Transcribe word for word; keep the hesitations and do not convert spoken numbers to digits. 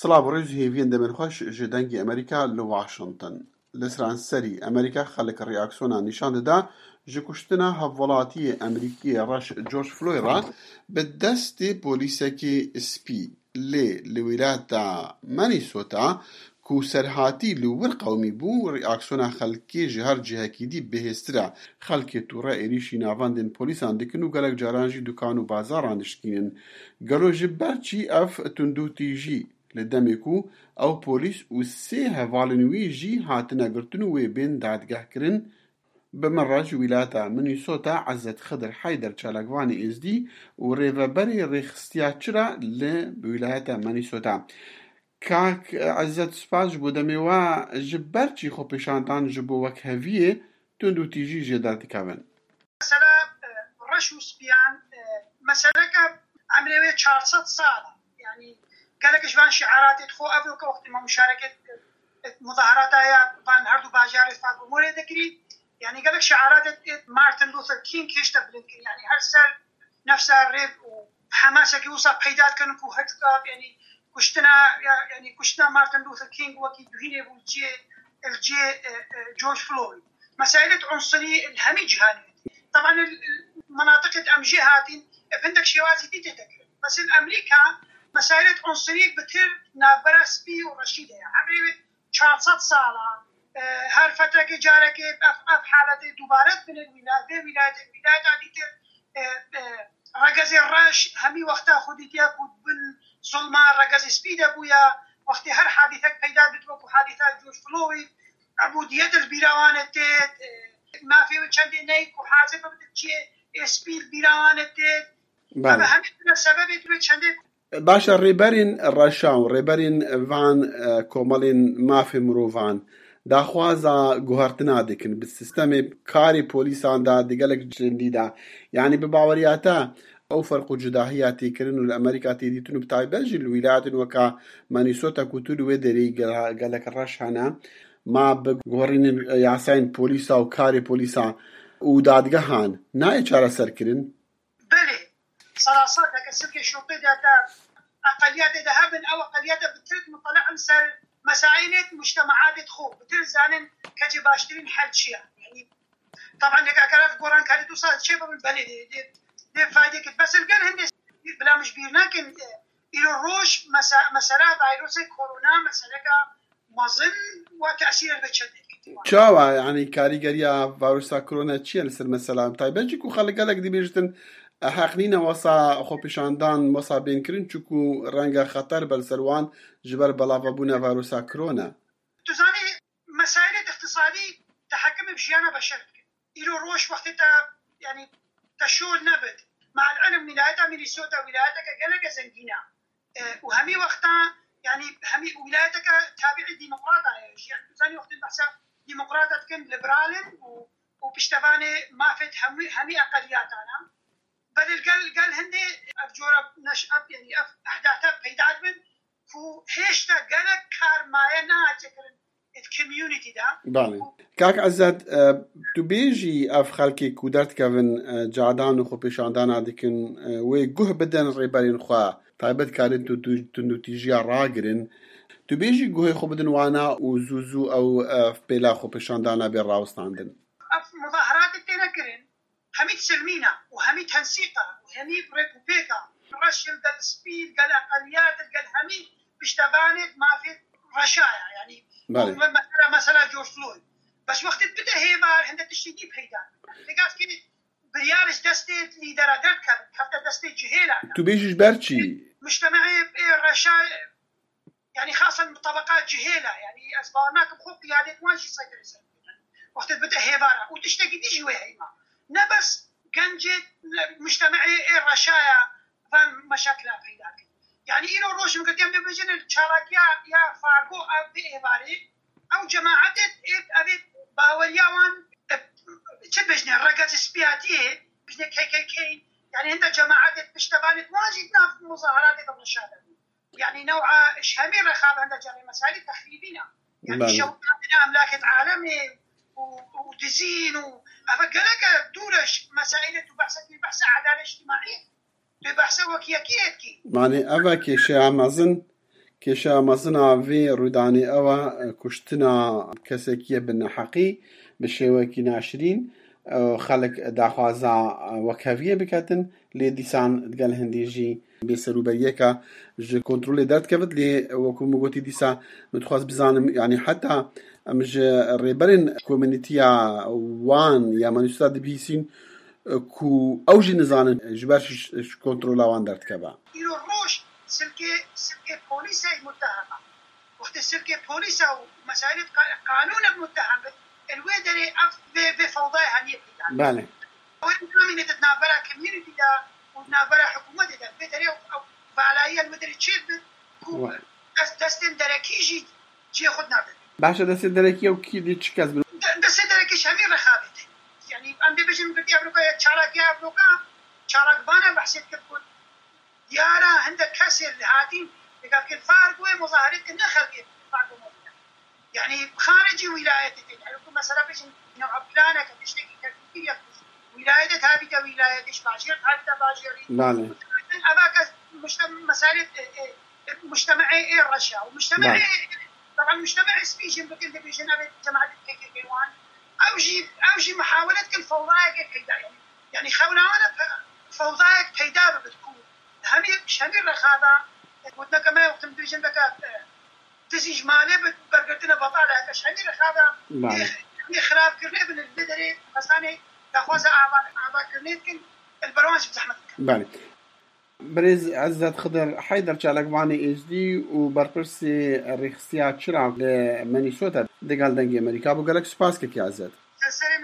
Silav û rêz û hêviyên demên xweş ji Dengê Amerîka li Washington. Li seranserî Amerîka xelk reaksiyona nîşan dida ji kuştina hevwelatiyê Amerîkiyê reş George Floyd re bi destê polîsekî spî. Lê li wîlayeta Minnesota ku serhatî li wir qewimî bû, reaksiyona xelkê ji her cihekî dî bihêztir e. Xelkê tûre êrîşî navendên polîsan dikin û gelek caran jî dukan û bazaran dişkînin. Gelo ji ber çî ev tundûtîjî li demê ku ew polîs û sê hevalên wî jî hatine girtin û wê bên dadgehkirin? Bi min re ji wîlayeta Minnesota Ezzet Xidir Heyder çalakvanê êzdî û rêveberê rêxistiya çira li wîlayeta Minnesota. Kak Ezzet, spas ji bo demê we. Ji ber çî xwepêşandan ji bo wekheviyê tundûtîjî jêde dikevin? Mesela, e, reş û spiyan, e, meseleke emrê wê çar sed sal e. Yanî gelek ji van şiaratê xwe ev weke wextê me muşareket, e, muzaharata ya van her du bajarê Fargo Morê dikirî. Yanî gelek şiaratê Martin Luther King hêşta bilind kirin. Yanî her ser nefsa rêv û hemasekî wisa peyda dikin ku her çiqas, yanî kuştina, ya, yanî kuştina Martin Luther King wekî duhînê bû cê, li cê, e, e, George Floyd. Mesaîlê unsirî li hemî cîhanê. Teban li, li menatiqê em jê hatîn, e, hindek şêwazî dî tê de kirin. Bes li Amerîka mesaîlê unsirî bitir navbera spî û reşî de ye. Emrê wê çar sed sal e. E, her fetrekê carekê ev, ev haletê dubare dibine wîla-, vê wîlayetê, wîlayeta dîtir, e, e, regezê reş hemî wexta xwe dîtiye ku bin zulma regezê spî de bûye. Wextê her hadîsek peyda bit wekû hadîsa George Floyd, ebûdiyet li bîra wan e têt, e, mafê wê çendê neyî ku hazir bibit çiyê ê spî li bîra wan e têt. Belê. Ev hemî tune sebebê tu wê çendê Baş e, rêberên reşa û rêberên van, e, komelên mafê mirovan daxwaza guhertina dikin bi sistemê karê polîsan de di gelek cendî de. Yanî bi baweriya te ew ferq û cudahiya tê kirin û li Amerîka tê dîtin û bi taybet jî li wîlayetên weka Minnesota ku tu li wê derê yî gela-, gelek reş hene, ma bi guherînên yasayên polîsa û karê polîsa û dadgehan nayê çareserkirin? Belê, serasar de ke silkê şopê de te eqeliyatê de hebin, ew eqeliyate bi tirk mutele'in ser mesaîlê mujtemaatê xwe, bi tirk zanin kecê baştirîn hel çi ye. Yanî, teban, yek eger ev gorankarî du sal çê bibin, belê dê, dê, dê faydê kir. Bes li gel hindê bila min ji bîr nekin, e, îro roj mese-, mesela vîrusê korona, meseleka mezin û tesîrê li çendê dikir. Çawa, yanî karîgeriya vîrusa korona çi ye li ser mesela? Taybet jî ku xelk gelek dibêjtin, e, heq nîne wesa xwepêşandan, wesa bên kirin, çunku renge xeter be li ser wan ji ber belavebûna vîrusa korona. Tu zanî, mesaîlê îqtisadî tehekimê bi jiyana beşer dikin. Îro roj wextê te, yanî te şol nebit. Me'el ilm wîlayeta Minnesota wîlayeteke geleke zengîn e. E, û hemî wexta, yanî hemî wîlayeteke tabiî demokrata ye. Yanî tu zanî wextê behsa demokrata dikin, liberal in û, û piştevanê mafê hemî, hemî eqeliyatan e. Belê gel, gel hindê ev cora neş-, ev, yanî ev ehdata peyda dibin ku hêşta gelek kar maye nehatiye kirin. Belê. Kak Ezzet, e, tu bêjî ev xelkê ku derdikevin, e, cadan û xwepêşandana dikin, e, wê guh bidin rêberên xwe, taybet karin tu, tu, tundûtîjiya ragirin. Tu bêjî guhê xwe bidin wana û zû zû ew, e, pêla xwepêşandana bê rawestandin. Ev muzaheratê têne kirin. Hemî silmîna û hemî tensîqa û hemî rêkûpêka reş li gel spî, li gel eqeliyat, li gel hemî piştevanê mafê reşa ye. Yanî, Belê. Mesela, mesela George Floyd. Bes wextê bide hêvar, hinde tiştê dî peyda. Pêgavkî biryar ji destê lîdera derdikevin, kevte destê cihêla. Tu bêjî ji ber çî? Mujtemeyê, ê, reşa, yanî xasen bi tebeqa cihêla, yanî ez bawer nakim xwe qiyadê wan jî seytirê ser bibin. Wextê bide hêvara û tiştekî dî jî wê heyma. Ne bes gencê, ne mujtemeyê ê reşaya van meşakila peyda kir. Yanî îro roj min girtiye em dê bêjin çalakiya ya Fargo ev vê êvarê, ew cemaetê ê, ev ê baweriya wan, e, çi bêjinê, regez spiyatiyê, bêjinê K K K, yanî hinde cemaetê piştevanê wan jî di nav muzaheratê de reşa de bûn. Yanî new'a ji hemî re xabe hinde carê mesaîlê texrîbî ne. Yanî Belê. Şewitandina emlakê alemê û, û dizîn û eve geleke dûr e ji mesaîlê tu behsa kî, behsa edalet îctimaî, tu behsa wekî yekî dikî. Manê eve kêşeya mezin Kêşeya mezin a vê rûdanê ew e, kuştina kesekî ye bi neheqî, bi şêwekî naşirîn, e, xelk daxwaza, e, wekheviyê biketin, lê dîsan digel hindî jî bêserûberiyeke ji kontrolê derdikevit, lê wekû min gotî dîsa min dixwest bizanim, yanî heta em ji rêberên komînîtiya wan ya manîsota dibihîsîn, e, ku ew jî nizanin ji ber ji, ji kontrola wan derdikeve. Îro roj silkê, silkê polîsê muttehema. Wextê silkê polîsa û mesaîlê qa-, qanûnek muttehemê, li wê derê ev vê, vê fewdayê hemiyê peyda. Belê. Ew namîne di navbera community de û navbera hikûmetê de, vê derê ew, ew valayiya li wê derê çêdibe ku Wa- dest, destên derekî jî cihê xwe nade. Baş e, destên derekî ew kî dî çi kes bin? De-, destê derekî ji hemî rexabetê. Yanî em dê bêjin girtiya evroka ya çalakiya evroka, çalakvana behsê dikir ku diyara hindek kesê li hatîn, dika ke fark wê muzahiret ke ne xelkê fark wê muzahiret. Yanî xaricî wîlayetê tê. Yanî ku mesela bêjin newha planeke tiştekî teknîkî ya wîlayetê tabîte wîlayetê, ji bajêr tabîte bajêrî. Belê. Eva kes muşte-, meselê, e, e, muştemeê ê reşa û muştemeê, Belê. Taban muştemeê spî jî bikin dibêjin ev cemaetê P K K wan. Ew jî, ew jî muhawele dikin fewdayeke peyda. Yanî, yanî xewna wan e pe-, fewdayek peyda bibit ku hemî, hemî rexada, e, gotineke me wextin dibêjin veke, e, dizî ji malê bi bergirtine betal e, ji hemî rexada Belê. Ê, ê xirabkirinê bin li derê xesanê daxwaza ava, avakirinê dikin, li ber wan jî bi zehmet dikin. Belê. Birêz Ezzet Xidir Heyder, çalakvanê êzdî û berpirsê rêxistiya Çira li Minnesota, digel Dengê Amerîka bû. Gelek spas kekî Ezzet. Ser serê min,